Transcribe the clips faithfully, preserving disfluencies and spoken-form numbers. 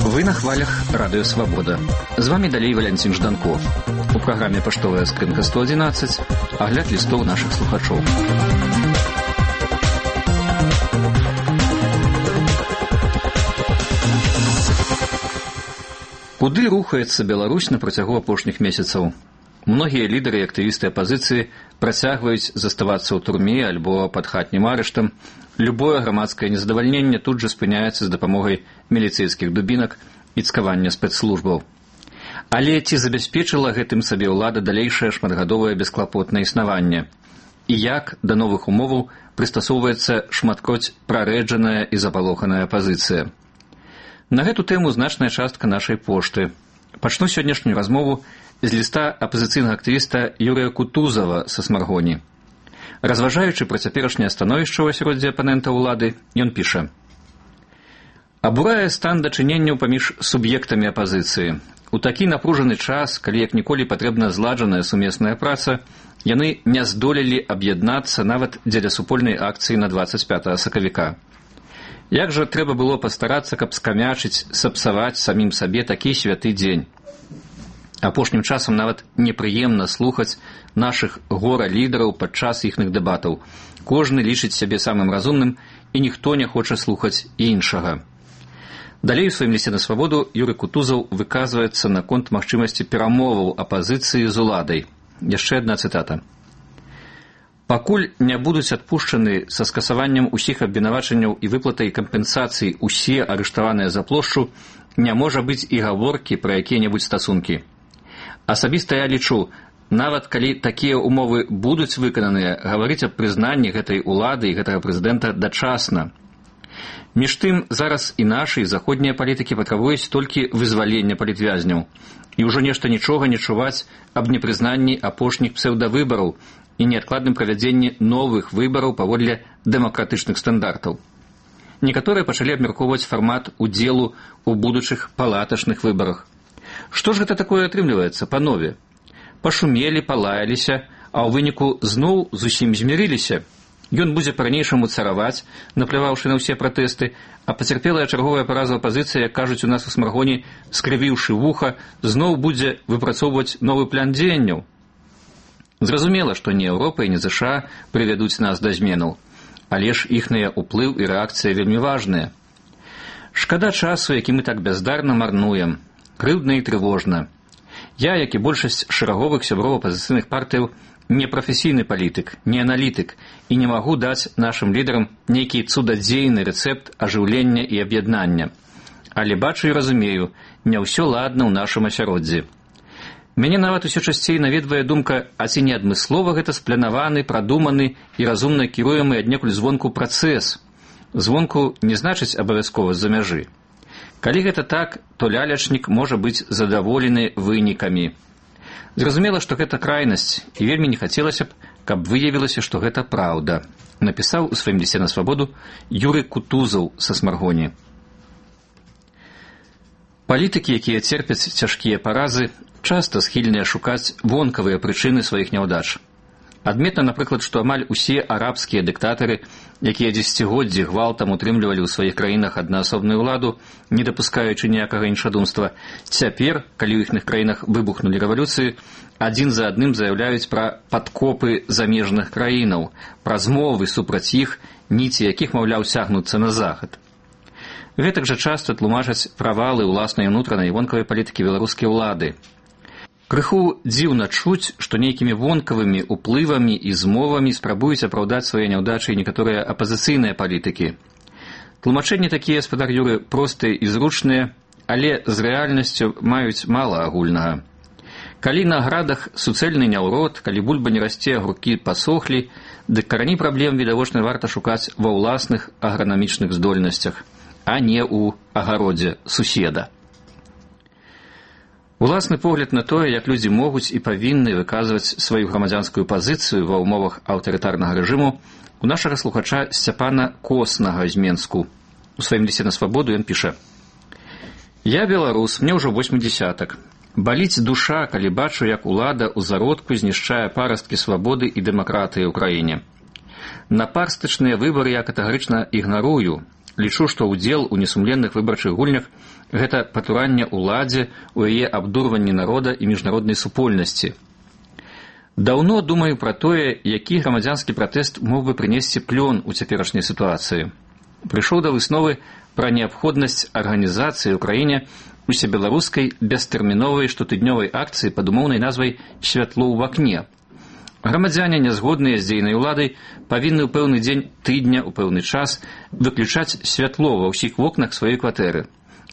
Вы на хвалях Радио Свобода. З вами далей Валянцін Жданко. У праграме «Паштовая скрынка сто одиннадцать» агляд лістоў нашых слухачоў. Куды рухаецца Беларусь на працягу апошніх месяцаў? Многія лідары і актывісты апазіцыі працягваюць заставацца ў турме альбо пад хатнім арыштам. Любое грамадскае незадавальненне тут жа спыняецца з дапамогай міліцэйскіх дубінак і цкавання спецслужбаў. Але ці забяспечыла гэтым сабе ўлада далейшае шматгадовае бесклапотнае існаванне? І як да новых умоваў прыстасоўваецца шматкроць прарэджаная і запалоханая апазіцыя? На гэту тэму значная частка нашай пошты. Пачну сённяшнюю размову з ліста апазіцыйнага актывіста Юрыя Кутузава са Смаргоні. Разважаючы пра цяперашняе становішча ў асяроддзі апанента ўлады, ён піша: «Абурае стан дачыненняў паміж суб'ектамі апазіцыі. У такі напружаны час, калі як ніколі патрэбна зладжаная сумесная праца, яны не здолелі аб'яднацца нават дзеля супольнай акцыі на дваццаць пятага сакавіка. Як жа трэба было пастарацца, каб скамячыць, сапсаваць самім сабе такі святы дзень. Апошнім часам нават непрыемна слухаць нашых гора-лідараў падчас іхных дэбатаў. Кожны лічыць сябе самым разумным, і ніхто не хоча слухаць іншага». Далей у сваім лісце на свабоду Юрый Кутузаў выказваецца наконт магчымасці перамоваў апазіцыі з уладай. Яшчэ адна цытата. «Пакуль не будуць адпушчаны са скасаваннем усіх абвінавачанняў і выплатай кампенсацый усе арыштаваныя за плошчу, не можа быць і гаворкі пра якія-небудзь стасункі. Асабіста я лічу, нават калі такія ўмовы будуць выкананыя, гаварыць аб прызнанні гэтай улады і гэтага прэзідэнта дачасна. Між тым, зараз і нашы, і заходнія палітыкі патрабуюць толькі вызвалення палітвязняў. І ўжо нешта нічога не чуваць аб непрызнанні апошніх псеўдавыбараў і неадкладным правядзенні новых выбараў паводле дэмакратычных стандартаў. Некаторыя пачалі абмяркоўваць фармат удзелу ў будучых палатачных выбарах. Што ж гэта такое атрымліваецца, панове? Пашумелі, палаяліся, а ў выніку зноў зусім змірыліся. Ён будзе па-ранейшаму цараваць, напляваўшы на ўсе пратэсты, а пацярпелая чарговая параза апазіцыя, як кажуць у нас у Смаргоні, скрывіўшы вуха, зноў будзе выпрацоўваць новы план дзеянняў. Зразумела, што не Еўропа і не ЗША прывядуць нас да зменаў, але ж іхныя ўплыў і рэакцыя вельмі важныя. Шкада часу, які мы так бяздарна марнуем. Крыўдна і трывожна. Я, як і большасць шэраговых сяброў апазіцыйных партыяў, не прафесійны палітык, не аналітык і не магу даць нашым лідарам нейкі цудадзейны рэцэпт ажыўлення і аб'яднання. Але бачу і разумею, не ўсё ладна ў нашым асяроддзі. Мяне нават усё часцей наведвае думка, а ці не адмыслова гэта спланаваны, прадуманы і разумна кіруемы аднекуль звонку працэс. Звонку не значыць абавязкова з-за мяжы. Калі гэта так, то лялячнік можа быць задаволены вынікамі. Зразумела, што гэта крайнасць, і вельмі не хацелася б, каб выявілася, што гэта праўда, напісаў у сваім лісце на свабоду Юрый Кутузаў са Смаргоні. Палітыкі, якія церпяць цяжкія паразы, часта схільныя шукаць вонкавыя прычыны сваіх няўдач. Адметна, напрыклад, што амаль усе арабскія дыктатары, якія дзесяцігоддзі гвалтам утрымлівалі ў сваіх краінах аднаасобную ўладу, не дапускаючы ніякага іншадумства, цяпер, калі ў іхных краінах выбухнулі рэвалюцыі, адзін за адным заяўляюць пра падкопы замежных краінаў, пра змовы супраць іх, ніці якіх, маўляў, цягнуцца на захад. Гэтак жа часта тлумачаць правалы ўласнай унутранай і вонкавай палітыкі беларускай улады. Крыху дзіўна чуць, што нейкімі вонкавымі ўплывамі і змовамі спрабуюць апраўдаць свае няўдачы некаторыя апазіцыйныя палітыкі. Тлумачэнні такія, спадар Юры, простыя і зручныя, але з рэальнасцю маюць мала агульнага. Калі на градах суцэльны няўрод, калі бульба не расце, агуркі пасохлі, дык карані праблем відавочна варта шукаць ва ўласных агранамічных здольнасцях, а не ў агародзе суседа. Уласны погляд на тое, як людзі могуць і павінны выказваць сваю грамадзянскую пазіцыю ва ўмовах аўтарытарнага рэжыму, у нашага слухача Сцяпана Коснага з Менску. У сваім лісце на свабоду ён піша: «Я беларус, мне ўжо восьмідзясятак. Баліць душа, калі бачу, як улада ў зародку знішчае парасткі свабоды і дэмакратыі ў краіне. Напарстачныя выбары я катэгарычна ігнарую. Лічу, што ўдзел у несумленных выбарчых гульнях – гэта патуранне ўладзе ў яе абдурванні народа і міжнароднай супольнасці. Даўно думаю пра тое, які грамадзянскі пратэст мог бы прынесці плён у цяперашняй сітуацыі. Прыйшоў да высновы пра неабходнасць арганізацыі ў краіне усебеларускай бестэрміновай штотыднёвай акцыі пад умоўнай назвай «Святло ў вакне». Грамадзяне, нязгодныя з дзейнай уладай, павінны ў пэўны дзень тыдня, у пэўны час выключаць святло ва ўсіх вокнах сваёй кватэры.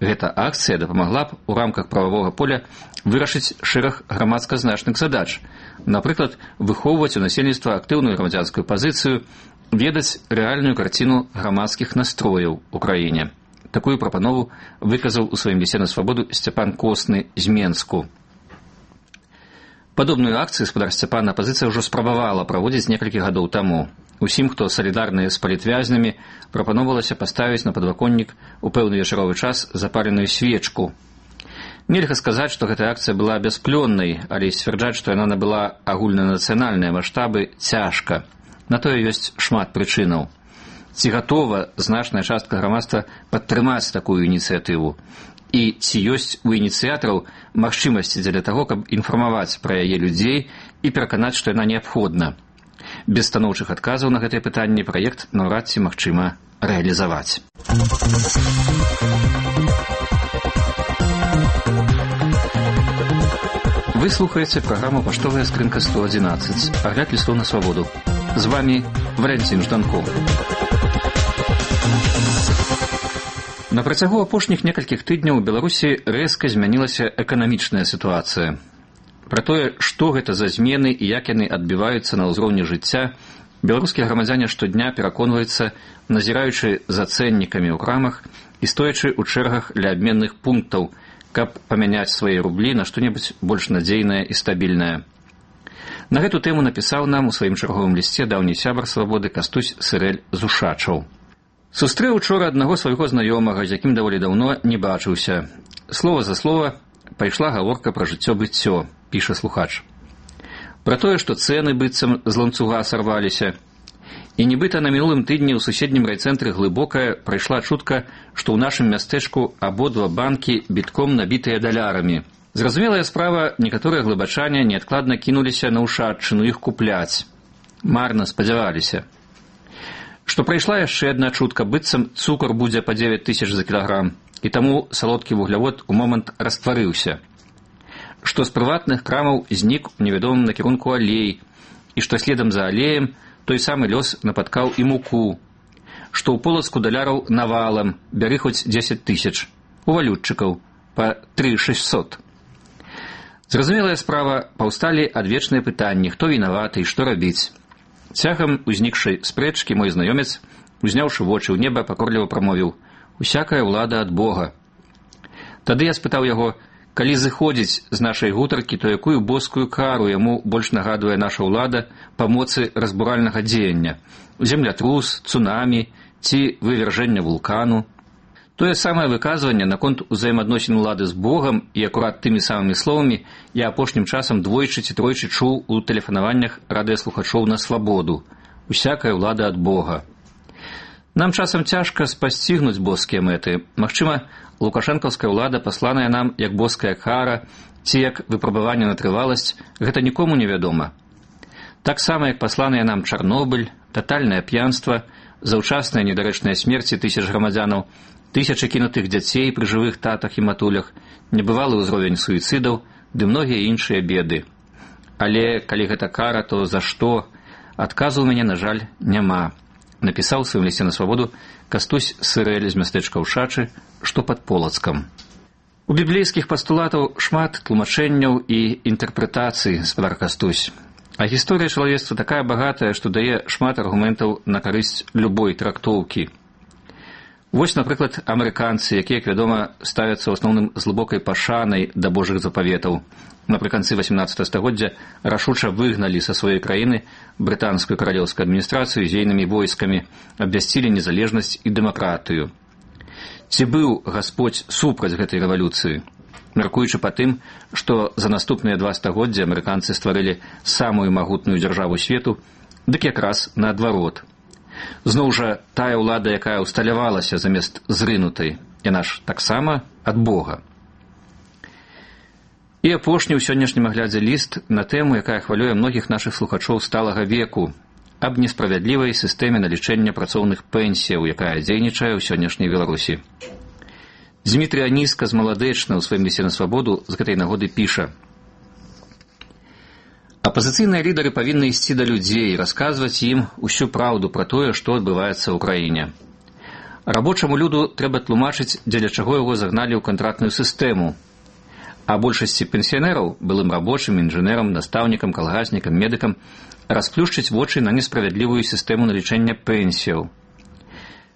Гэта акцыя дапамагла б у рамках прававога поля вырашыць шэраг грамадска значных задач. Напрыклад, выхоўваць у насельніцтва актыўную грамадзянскую пазіцыю, ведаць рэальную карціну грамадскіх настрояў у краіне. Такую прапанову выказаў у сваім лісце на свабоду Сцяпан Косны з Менску. Падобную акцыю спадар Сцяпан апазіцыя ўжо спрабавала праводзіць некалькі гадоў таму. Усім, хто салідарныя з палітвязнямі, прапаноўвалася паставіць на падваконнік у пэўны вечаровы час запаленую свечку. Нельга сказаць, што гэтая акцыя была бясплённай, але сцвярджаць, што яна набыла агульнанацыянальныя маштабы, цяжка. На тое ёсць шмат прычынаў. Ці гатова значная частка грамадства падтрымаць такую ініцыятыву? І ці ёсць у ініцыятараў магчымасці дзеля таго, каб інфармаваць пра яе людзей і пераканаць, што яна неабходна. Без станоўчых адказаў на гэтае пытанне праект наўрад ці магчыма рэалізаваць. Вы слухаеце праграму «Паштовая скрынка сто адзінаццаць», агляд лістоў на свабоду. З вами Валянцін Жданко. На працягу апошніх некалькіх тыдняў у Беларусі рэзка змянілася эканамічная сітуацыя. Пра тое, што гэта за змены і як яны адбіваюцца на ўзроўні жыцця, беларускія грамадзяне штодня пераконваюцца, назіраючы за цэннікамі ў крамах і стоячы ў чэргах ля абменных пунктаў, каб памяняць свае рублі на што-небудзь больш надзейнае і стабільнае. На гэту тэму напісаў нам у сваім чарговым лісце даўні сябар свабоды Кастусь Сырэль з Ушачаў. Сустрэў учора аднаго свайго знаёмага, з якім даволі даўно не бачыўся. Слова за слова пайшла гаворка пра жыццё-быццё, піша слухач. Пра тое, што цэны быццам з ланцуга сарваліся. І нібыта на мінулым тыдні ў суседнім райцэнтры Глыбокая прайшла чутка, што ў нашым мястэчку абодва банкі бітком набітыя далярамі. Зразумелая справа, некаторыя глыбачане неадкладна кінуліся на Ушаччыну іх купляць. Марна спадзяваліся. Што прайшла яшчэ адна чутка, быццам цукар будзе па дзевяць тысяч за кілаграм, і таму салодкі вуглявод у момант растварыўся. Што з прыватных крамаў знік у невядомым накірунку алей, і што следам за алеем той самы лёс напаткаў і муку. Што ў Полацку даляраў навалам, бяры хоць дзесяць тысяч, у валютчыкаў па тры шэсцьсот. Зразумелая справа, паўсталі адвечныя пытанні, хто вінаваты і што рабіць. Цягам узнікшай спрэчкі мой знаёмец, узняўшы вочы ў неба, пакорліва прамовіў: «Усякая ўлада ад Бога». Тады я спытаў яго, калі зыходзіць з нашай гутаркі, то якую боскую кару яму больш нагадвае наша ўлада па моцы разбуральнага дзеяння: землятрус, цунамі ці вывяржэння вулкану. Тое самае выказванне наконт узаемадносін улады з Богам і акурат тымі самымі словамі я апошнім часам двойчы ці тройчы чуў у тэлефанаваннях радыёслухачоў на свабоду: «Усякая ўлада ад Бога». Нам часам цяжка спасцігнуць боскія мэты. Магчыма, лукашэнкаўская ўлада, пасланая нам як боская кара ці як выпрабаванне на трываласць, гэта нікому не вядома. Таксама, як пасланыя нам Чарнобыль, татальнае п'янства, заўчасныя недарэчныя смерці тысяч грамадзянаў, тысячы кінутых дзяцей пры жывых татах і матулях, небывалы ўзровень суіцыдаў ды многія іншыя беды. Але калі гэта кара, то за што? Адказу ў мяне, на жаль, няма. Напісаў у сваім лісце на свабоду Кастусь Сырэль з мястэчка Ушачы, што пад Полацкам. У біблейскіх пастулатаў шмат тлумачэнняў і інтэрпрэтацый, спадар Кастусь. А гісторыя чалавецтва такая багатая, што дае шмат аргументаў на карысць любой трактоўкі. Вось, напрыклад, амерыканцы, якія, як вядома, ставяцца ў асноўным з глыбокай пашанай да божых запаветаў. Напрыканцы васямнаццатага стагоддзя рашуча выгналі са сваёй краіны брытанскую каралеўскую адміністрацыю з ейнымі войскамі, абвясцілі незалежнасць і дэмакратыю. Ці быў Гасподзь супраць гэтай рэвалюцыі? Мяркуючы па тым, што за наступныя два стагоддзя амерыканцы стварылі самую магутную дзяржаву свету, дык якраз наадварот. Зноў жа, тая ўлада, якая ўсталявалася замест зрынутай, яна ж таксама ад Бога. І апошні ў сённяшнім аглядзе ліст на тэму, якая хвалюе многіх нашых слухачоў сталага веку, аб несправядлівай сістэме налічэння працоўных пенсіяў, якая дзейнічае ў сённяшняй Беларусі. Дзмітрый Аніска з Маладэчна ў сваім лісце на свабоду з гэтай нагоды піша: «Апазіцыйныя лідары павінны ісці да людзей, расказваць ім усю праўду пра тое, што адбываецца ў краіне. Рабочаму люду трэба тлумачыць, дзеля чаго яго загналі ў кантрактную сістэму. А большасці пенсіянераў, былым рабочым, інжынерам, настаўнікам, калгаснікам, медыкам, расплюшчыць вочы на несправядлівую сістэму налічэння пенсіяў.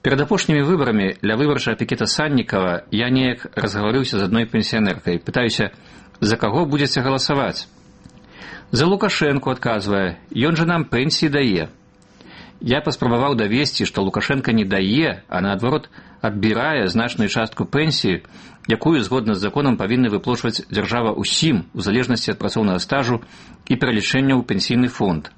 Перад апошнімі выбарамі ля выбарчага пікета Саннікава я неяк разгаварыўся з адной пенсіянеркай. Пытаюся, за каго будзеце галасаваць? За Лукашэнку, адказвае, ён жа нам пенсіі дае. Я паспрабаваў давесці, што Лукашенка не дае, а наадварот адбірае значную частку пенсіі, якую згодна з законам павінны выплачваць дзяржава ўсім, у залежнасці ад працоўнага стажу і пералічэння ў пенсійны фонд.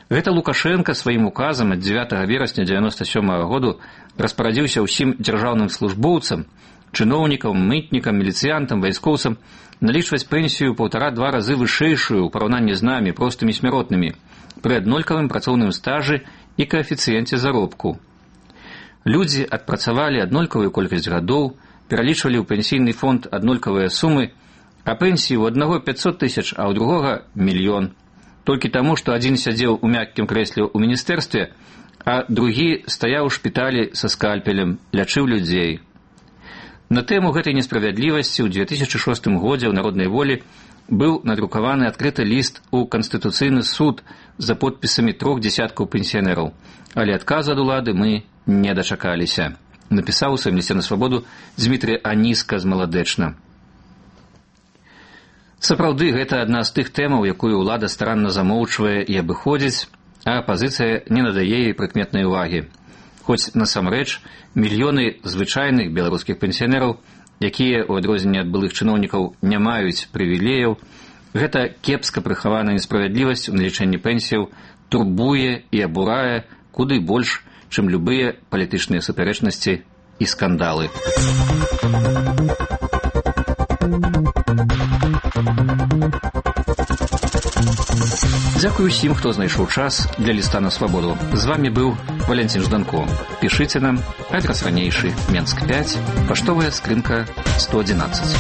Гэта Лукашенка сваім указам ад дзевятага верасня дзевяноста сёмага году распарадзіўся ўсім дзяржаўным службоўцам, чыноўнікам, мытнікам, міліцыянтам, вайскоўцам налічваць пенсію паўтара-два разы вышэйшую ў параўнанні з намі, простымі смяротнымі, пры аднолькавым працоўным стажы і каэфіцыенце заробку. Людзі адпрацавалі аднолькавую колькасць гадоў, пералічвалі ў пенсійны фонд аднолькавыя сумы, а пенсіі ў аднаго пяцьсот тысяч, а ў другога мільён. Толькі таму, што адзін сядзеў у мяккім крэсле ў міністэрстве, а другі стаяў у шпіталі са скальпелем, лячыў людзей. На тэму гэтай несправядлівасці ў дзве тысячы шостым годзе ў Народнай волі быў надрукаваны адкрыты ліст у Канстытуцыйны суд за подпісамі трох дзесяткаў пенсіянераў, але адказу ад улады мы не дачакаліся. Напісаў у сваім лісце на свабоду Дзмітрый Аніска з Маладэчна. Сапраўды, гэта адна з тых тэмаў, якую ўлада старанна замоўчвае і абыходзіць, а апазіцыя не надае ёй прыкметнай увагі. Хоць насамрэч мільёны звычайных беларускіх пенсіянераў, якія, у адрозненне ад былых чыноўнікаў, не маюць прывілеяў, гэта кепска прыхаваная несправядлівасць у налічэнні пенсіяў турбуе і абурае куды больш, чым любыя палітычныя супярэчнасці і скандалы. Дзякую усім, хто знайшоў час для ліста на свабоду. З вамі быў Валентин Жданко. Пішыце нам, адрас ранейшы, Менск пяць, паштовая скрынка сто адзінаццаць.